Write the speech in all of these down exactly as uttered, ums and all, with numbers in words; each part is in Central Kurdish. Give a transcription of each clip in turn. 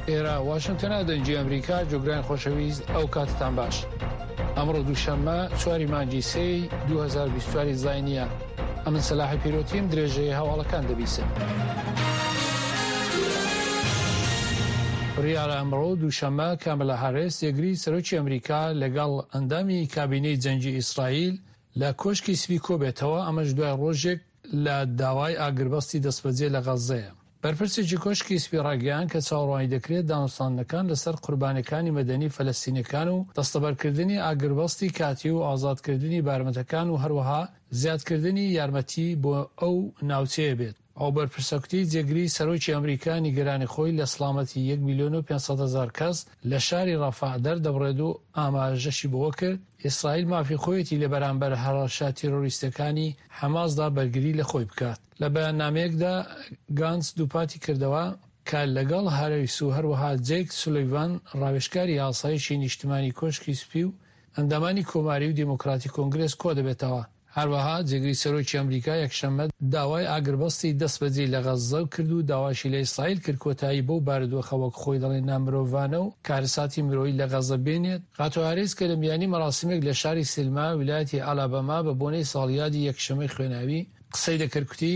ئێرە واشنگتنە، دەنگی ئەمریکا. گوێگرانی خۆشەویست، ئەو کاتتان باش. ئەمڕۆ دووشەممە چواری مانگی سێی دوو هەزار و بیست و چوار زاینیە. ئەمن سەلاحی پیرۆتیم، درێژەی هەواڵەکان دەبیسن. بڕیارە ئەمڕۆ دووشەممە کاملا هاریس، جێگری سەرۆکی ئەمریکا، لەگەڵ ئەندامی کابینەی جەنگی ئیسرائیل لە کۆشکی سپی کۆبێتەوە. ئەمەش دوای ڕۆژێک لە داوای ئاگربەستی دەستبەجێ لە غەززەیە. بەرپرسێکی کۆشکی سپی ڕاگەیان کە چاوەڕوانی دەکرێت دانوستاندنەکان لەسەر قوربانیەکانی مەدەنی فەلەستینەکان و دەستەبەرکردنی ئاگربەستی کاتی و ئازادکردنی بارمتەکان و هەروەها زیادکردنی یارمەتی بۆ ئەو ناوچەیە بێت. ئەو بەرپرسە کوتی جێگری سەرۆکی ئەمریکا نیگەرانی خۆی لە سڵامەتی یەک میلیۆن و پێنج سەد هەزار کەس لە شاری ڕەفەح دەردەبڕێت و ئاماژەشی بەوە کرد ئیسرائیل مافی خۆیەتی لە بەرامبەر هەڕەشە تیرۆریستەکانی حەماسدا بەرگری لە خۆی بکات. لە بەیاننامەیەکدا گانتس دووپاتی کردەوە کە لەگەڵ هاریس و هەروەها جەیک سولیڤان، ڕاوێژکاری ئاسایشی نیشتمانی کۆشکی سپی، و ئەندامانی کۆماری و دیموکراتی کۆنگرس کۆ دەبێتەوە. هەروەها جێگری سەرۆکی ئەمریکا یەکشەممە داوای ئاگربەستی دەستبەجێی لە غەززە کرد و داواشی لە ئیسرائیل کرد کۆتایی بەو بارودۆخە، وەک خۆی دەڵێ، نامرۆڤانە و کارەساتی مرۆیی لە غەززە بێنێت. خاتوو هاریس کە لە میانی مەراسیمێک لە شاری سلما، ویلایەتی ئالاباما، بە بۆنەی ساڵیادی یەکشەمەی خوێناوی قسەی دەکرد، کوتی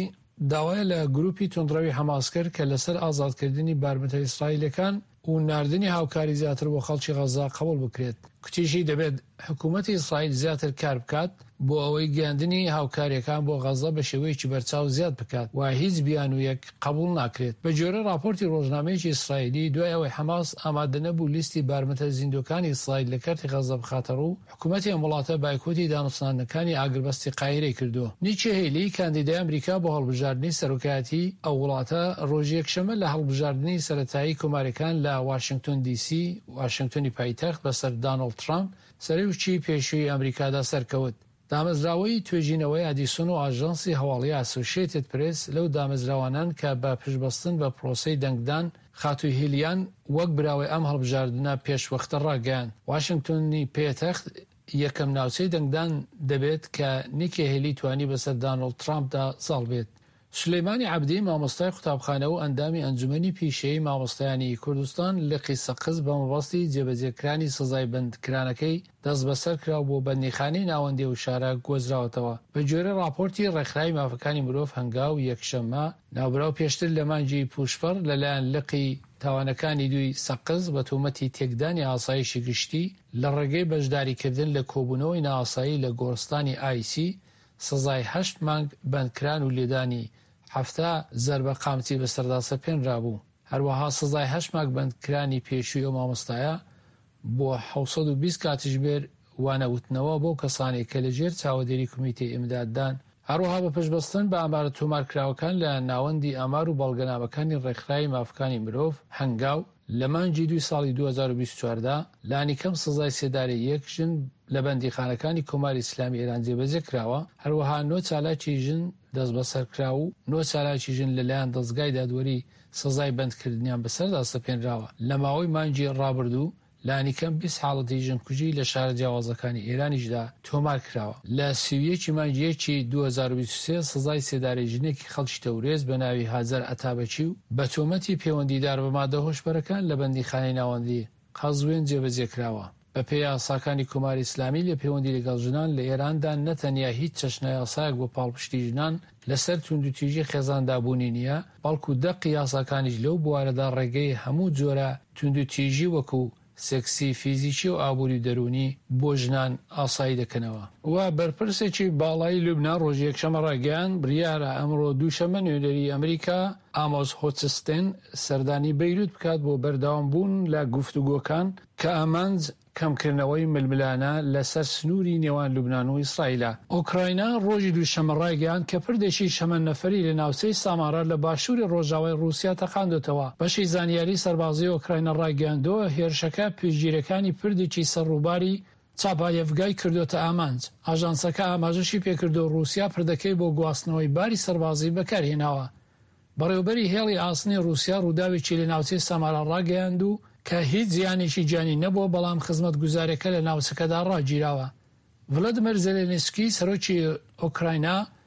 داوای لە گروپی توندڕەوی حەماس کرد کە لەسەر ئازادکردنی بارمتە ئیسرائیلەکان و ناردنی هاوکاری زیاتر بۆ خەڵکی غەززە قبوڵ بکرێت. کوتیشی دەبێت حکوومەتی ئیسرائیل زیاتر کار بکات بۆ ئەوەی گەیاندنی هاوکاریەکان بۆ غەززە بە شێوەیەکی بەرچاو زیاد بکات و هیچ بیانوویەک قبول ناکرێت. بە گوێرەی راپۆرتی ڕۆژنامەیەکی ئیسرائیلی، دوای ئەوەی حەماس ئامادە نەبوو لیستی بارمتە زیندوەکانی ئیسرائیل لە کەرتی غەززە بخاتە ڕوو، حکوومەتی ئەم وڵاتە بایکۆتی دانوستاندنەکانی ئاگربەستی قاهیرەی کردووە. نیکی هێلی، کاندیدای ئەمریکا بۆ هەڵبژاردنی سەرۆکایەتی ئەو وڵاتە، ڕۆژی یەکشەممە لە هەڵبژاردنی سەرەتایی کۆماریەکان لە واشنگتۆن دیسی، واشنگتۆنی پایتەخت، بەسەر دانۆڵد ترامپ، سەرۆکی پێشووی ئەمریکادا سەرکەوت. دامەزراوەی توێژینەوەی ئەدیسۆن و ئاژانسی هەواڵی ئاسۆشیتد پرێس لەو دامەزراوانەن کە بە پشتبەستن بە پرۆسەی دەنگدان خاتوو هیلیان وەک براوەی ئەم هەڵبژاردنە پێشوەختە ڕاگەیان. واشنگتۆنی پێتەخت یەکەم ناوچەی دەنگدان دەبێت کە نیکی هێلی توانی بەسەر دانۆڵد ترامپدا زاڵ بێت. سولەیمانی عەبدی، مامۆستای قوتابخانە و ئەندامی ئەنجومەنی پیشەیی مامۆستایانی کوردستان لقی سەقز، بە مەبەستی جێبەجێکرانی سزای بەندکرانەکەی دەستبەسەر کرا و بۆ بەندیخانەی ناوەندی ئەو شارە گوازراوەتەوە. بە گوێرەی ڕاپۆرتی ڕێکخراوی مافەکانی مرۆڤ هەنگاو، یەکشەممە ناوبراو پێشتر لە مانگی پوشپەڕ لەلایەن لقی تاوانەکانی دووی سەقز بە تۆمەتی تێکدانی ئاسایشی گشتی لە ڕێگەی بەشداریکردن لە کۆبوونەوەی نائاسایی لە گۆڕستانی ئایسی سزای هەشت مانگ بەندکران و لێدانی حەفتا زەربە قامچی بەسەردا سەپێنرابوو. هەروەها سزای هەشت مانگ بەندکرانی پێشووی ئەو مامۆستایە بۆ حەوت سەد و بیست کاتژمێر وانەوتنەوە بۆ کەسانێک کە لەژێر چاوەدێری کۆمیتەی ئیمداددان. هەروەها بە پشتبەستن بە ئامارە تۆمارکراوەکان لە ناوەندی ئامار و بەڵگەنامەکانی ڕێکخراوی مافەکانی مرۆڤ هەنگاو، لە مانگی دووی ساڵی دوو هەزار و بیست و چوار دا لانیکەم سزای سێدارەی یەک ژن لە بەندیخانەکانی کۆماری ئیسلامی ئێران جێبەجێ کراوە. هەروەها نۆ چالاکی ژن دەستبەسەر کراو و نۆ چالاکی ژن لەلایەن دەزگای دادوەری سزای بەندکردنیان بەسەردا سەپێنراوە. لە ماوەی مانگی ڕابردوو لانیکەم بیست حاڵەتی ژنکوژی لە شارە جیاوازەکانی ئێرانیشدا تۆمار کراوە. لە سی و یەکی مانگی یەکی دوو هەزار و بیست و سێ سزای سێدارەی ژنێکی خەڵکی تەورێز بە ناوی هاجەر ئەتابەکی و بە تۆمەتی پەیوەندیدار بە مادە هۆشبەرەکان لە بەندیخانەی ناوەندی قەزوێن جێبەجێ کراوە. بە پێی یاساکانی کۆماری ئیسلامی لە پەیوەندی لەگەڵ ژنان لە ئێراندا، نەتەنیا هیچ چەشنە یاسایەک بۆ پاڵپشتی ژنان لەسەر توندوتیژی خێزاندا بوونی نییە، بەڵکو دەقی یاساکانیش لەو بوارەدا ڕێگەی هەموو جۆرە توندوتیژی وەکو سێکسی، فیزیکی و ئابووری و دەروونی بۆ ژنان ئاسایی دەکەنەوە. و بەرپرسێکی باڵای لوبنان ڕۆژی یەکشەممە ڕایگەیاند بڕیارە ئەمڕۆ دووشەممە نوێنەری ئەمریکا ئامۆس هۆچستێن سەردانی بەیروت بکات بۆ بەردەوام بوون لە گفتوگۆکان کە ئامانج کەمکردنەوەی ململانە لەسەر سنووری نێوان لوبناان و ئیسرائیلە. ئۆکراینا ڕۆژی دووشەممە ڕایگەیاند کە پردێکی شەمەندەفەری لە ناوچەی سامارا لە باشووری ڕۆژاوای ڕووسیا تەقاندوتەوە. بەشی زانیاری سەربازی ئۆکراینا ڕایگەیاندووە هێرشەکە پێشگیرەکانی پردێکی سەر ڕووباری چاپایەڤگای کردوتە ئامانج. ئاژانسەکە ئاماژەشی پێکردو رووسیا پردەکەی بۆ گواستنەوەی باری سەربازی بەکارهێناوە. بەڕێوبەری هێڵی ئاسنی رووسیا ڕووداوێکی لە ناوچەی سامارا ڕاگەیاند و کە هیچ زیانێکی گیانی نەبووە، بەڵام خزمەتگوزاریەکە لە ناوچەکەدا ڕاگیراوە. ڤلادیمیر زێلێنسکی، سەرۆکی ئۆکراینا